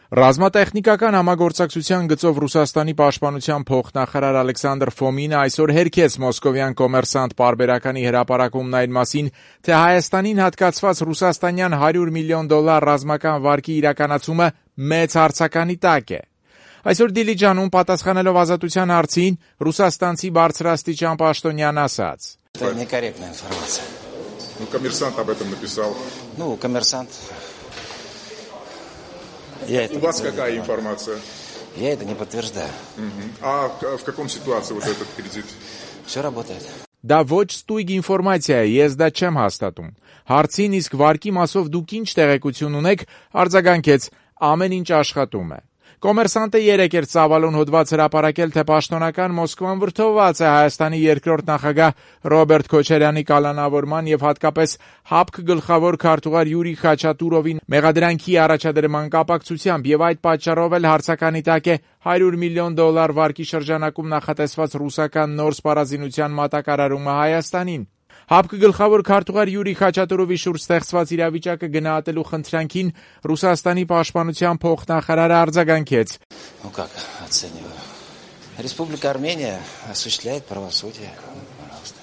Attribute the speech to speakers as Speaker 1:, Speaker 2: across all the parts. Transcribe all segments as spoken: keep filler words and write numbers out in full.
Speaker 1: Ռազմատեխնիկական համագործակցության գծով Ռուսաստանի պաշտպանության փոխնախարար Ալեքսանդր Ֆոմինը այսօր հերքեց մոսկովյան Կոմերսանտ պարբերականի հրապարակումն այն մասին, թե Հայաստանին հատկացված ռուսաստանյան հարյուր միլիոն դոլար ռազմական վարկի իրականացումը մեծ հարցականի տակ է։ Այսօր Դիլիջանում պատասխանելով Ազատության հարցին, ռուսաստանցի բարձրաստիճան պաշտոնյան ասաց.
Speaker 2: Это некорректная информация.
Speaker 3: Ну, коммерсант об этом написал.
Speaker 2: Ну, коммерсант... Я это
Speaker 3: У вас какая информация?
Speaker 2: Я это не подтверждаю.
Speaker 3: Угу. А в каком ситуации вот этот кредит?
Speaker 2: Все работает.
Speaker 1: Դա ոչ ստույգ ինֆորմացիա է, ես դա չեմ հաստատում։ Հարցին իսկ վարկի մասով դուք ինչ տեղեկություն ունեք, արձագանքեց, ամեն ինչ աշխատում է։ Կոմերսանտը երեկ էր ծավալուն հոդված հրապարակել, թե պաշտոնական Մոսկվան վրդովված է Հայաստանի երկրորդ նախագահ Ռոբերտ Քոչարյանի կալանավորման եւ հատկապես ՀԱՊԿ գլխավոր քարտուղար Յուրի Խաչատուրովի մեղադրանքի առաջադրման կապակցությամբ եւ այդ պատճառով էլ հարցականի տակ է հարյուր միլիոն դոլար վարկի շրջանակում նախատեսված ռուսական նոր սպառազինության մատակարարումը Հայաստանին։ ՀԱՊԿ գլխավոր քարտուղար Յուրի Խաչատուրովի շուրջ ստեղծված իրավիճակը գնահատելու խնդրանքին Ռուսաստանի պաշտպանության փոխնախարարը արձագանքեց.
Speaker 2: Ну как оцениваю? Республика Армения осуществляет правосудие. Пожалуйста.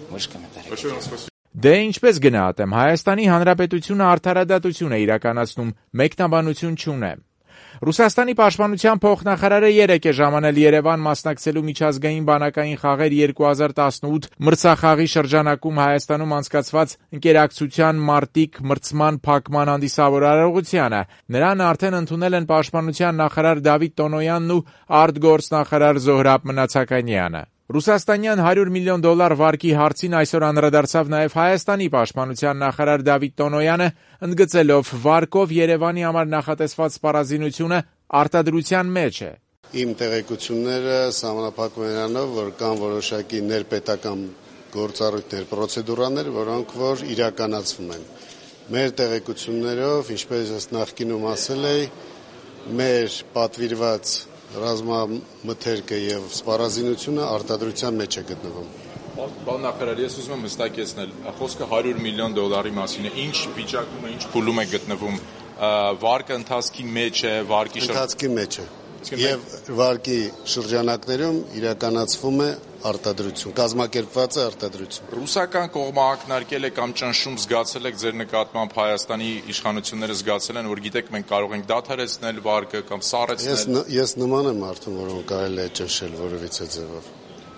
Speaker 2: Больше комментариев.
Speaker 1: Դե ինչպես գնահատեմ, Հայաստանի Հանրապետությունը արդարադատություն է իրականացնում, մեկնաբանություն չունեմ։ Ռուսաստանի պաշտպանության փոխնախարարը երեկ է ժամանել Երևան մասնակցելու միջազգային բանակային խաղեր երկու հազար տասնութ մրցախաղի շրջանակում Հայաստանում անցկացված ընկերակցության մարտիկ մրցման փակման հանդիսավոր արարողությանը։ Նրան արդեն ընդունել են պաշտպանության նախարար Դավիթ Տոնոյանն ու արտգործնախարար Զոհրաբ Մնացականյանը։ Ռուսաստանյան հարյուր միլիոն դոլար վարկի հարցին այսօր անդրադարձավ նաև Հայաստանի պաշտպանության նախարար Դավիթ Տոնոյանը, ընդգծելով վարկով Երևանի համար նախատեսված սպառազինությունը արտադրության մեջ է։
Speaker 4: Իմ տեղեկությունները սահմանափակվում են նրանով, որ կան որոշակի ներպետական գործառույթներ, պրոցեդուրաներ, որոնք որ իրականացվում են։ Մեր տեղեկություններով, ինչպես նախկինում ասել էի, մեր պատվիրված ռազմամթերքը եւ սպառազինությունը արտադրության մեջ է գտնվում։
Speaker 3: Պարոն նախարար, ես ուզում եմ հստակեցնել, խոսքը հարյուր միլիոն դոլարի մասին է։ Ինչ վիճակում է, ինչ փուլում է գտնվում։ Վարկը ընթացքի մեջ է, վարկի
Speaker 4: ընթացքի մեջ է։ Եվ վարկի շրջանակներում իրականացվում է արտադրություն, կազմակերպված է արտադրություն։
Speaker 3: Ռուսական կողմը ակնարկել է կամ ճնշում զգացել եք ձեր նկատմամբ Հայաստանի իշխանությունները զգացել են, որ գիտեք մենք կարող ենք դադարեցնել վարկը կամ սառեցնել։
Speaker 4: Ես ես նման եմ արդեն, որոնք կարելի է ճնշել որևիցե ձևով։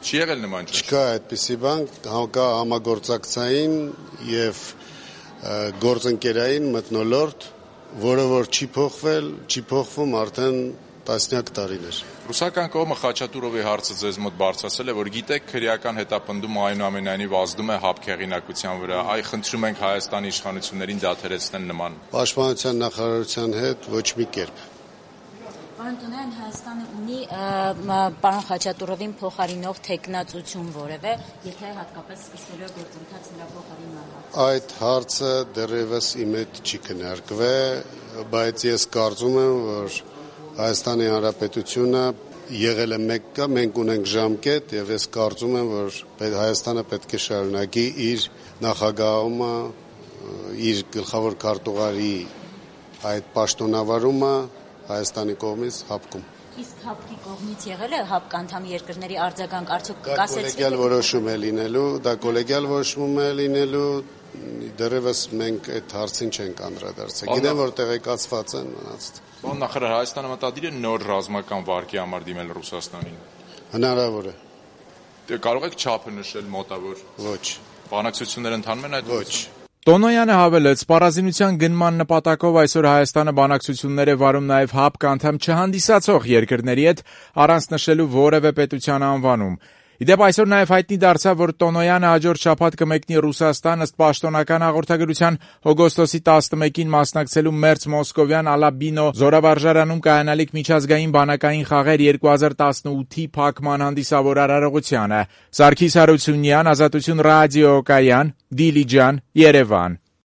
Speaker 3: Չի եղել նման ճնշում։
Speaker 4: Չկա այդպիսի բան, կա համագործակցային եւ գործընկերային մթնոլորտ, որը որ չի փոխվել, չի փոխվում արդեն տասնյակ տարիներ։
Speaker 3: Ռուսական կողմը Խաչատուրովի հարցը ձեզ մոտ բարձրացել է, որ գիտեք քրեական հետապնդումը այնուամենայնիվ ազդում է ՀԱՊԿ հեղինակության վրա։ Այ խնդրում ենք Հայաստանի իշխանություններին դադարեցնել նման։
Speaker 4: Պաշտպանության նախարարության հետ ոչ մի կերպ։
Speaker 5: Պարոն Տոնոյան, Հայաստանը ունի պարոն Խաչատուրովին փոխարինող թեկնածություն որևէ, եթե հատկապես սկսվելու է գործընթաց նրա փոխարինման։
Speaker 4: Այդ հարցը դեռևս իմ հետ չի քննարկվել, բայց ես կարծում եմ, որ Հայաստանի Հանրապետությունը եղել է մեկը, մենք ունենք ժամկետ եւ ես կարծում եմ, որ Հայաստանը պետք է շարունակի իր նախագահումը, իր գլխավոր քարտուղարի այդ պաշտոնավարումը Հայաստանի կողմից ՀԱՊԿ-ում։
Speaker 5: Իսկ ՀԱՊԿ-ի կողմից եղել է ՀԱՊԿ անդամ երկրների արձագանք, արդյոք
Speaker 4: կասեցիք։ Դա կոլեգիալ որոշում է լինելու, դա կոլեգիալ որոշում է լինելու, դեռևս մենք այդ հարցին չենք անդրադարձել։ Գիտեմ, որ տեղեկացված են մնացած։
Speaker 3: Պարոն նախարար, Հայաստանը մտադիր է նոր ռազմական վարկի համար դիմել Ռուսաստանին։
Speaker 4: Հնարավոր է։
Speaker 3: Դե կարող եք չափը նշել մոտավոր։
Speaker 4: Ոչ։
Speaker 3: Բանակցություններ ընթանում են այդ։
Speaker 4: Ոչ։
Speaker 1: Տոնոյանը հավելեց, սպառազինության գնման նպատակով այսօր Հայաստանը բանակցություններ է վարում նաև ՀԱՊԿ անդամ չհանդիսացող երկրների հետ, առանց նշելու որևէ պետության անվանում։ Իդեպ այսօր նաև հայտնի դարձավ, որ Տոնոյանը հաջորդ շաբաթ կմեկնի Ռուսաստան ըստ պաշտոնական հաղորդագրության օգոստոսի տասնմեկին մասնակցելու մերձ մոսկովյան Ալաբինո զորավարժարանում կայանալիք միջազգային բանակային խաղեր երկու հազար տասնութի փակման հանդիսավոր արարողությանը։ Սարգիս Հարությունյան, Ազատություն ռադիոկայան, Դիլիջան, Երևան։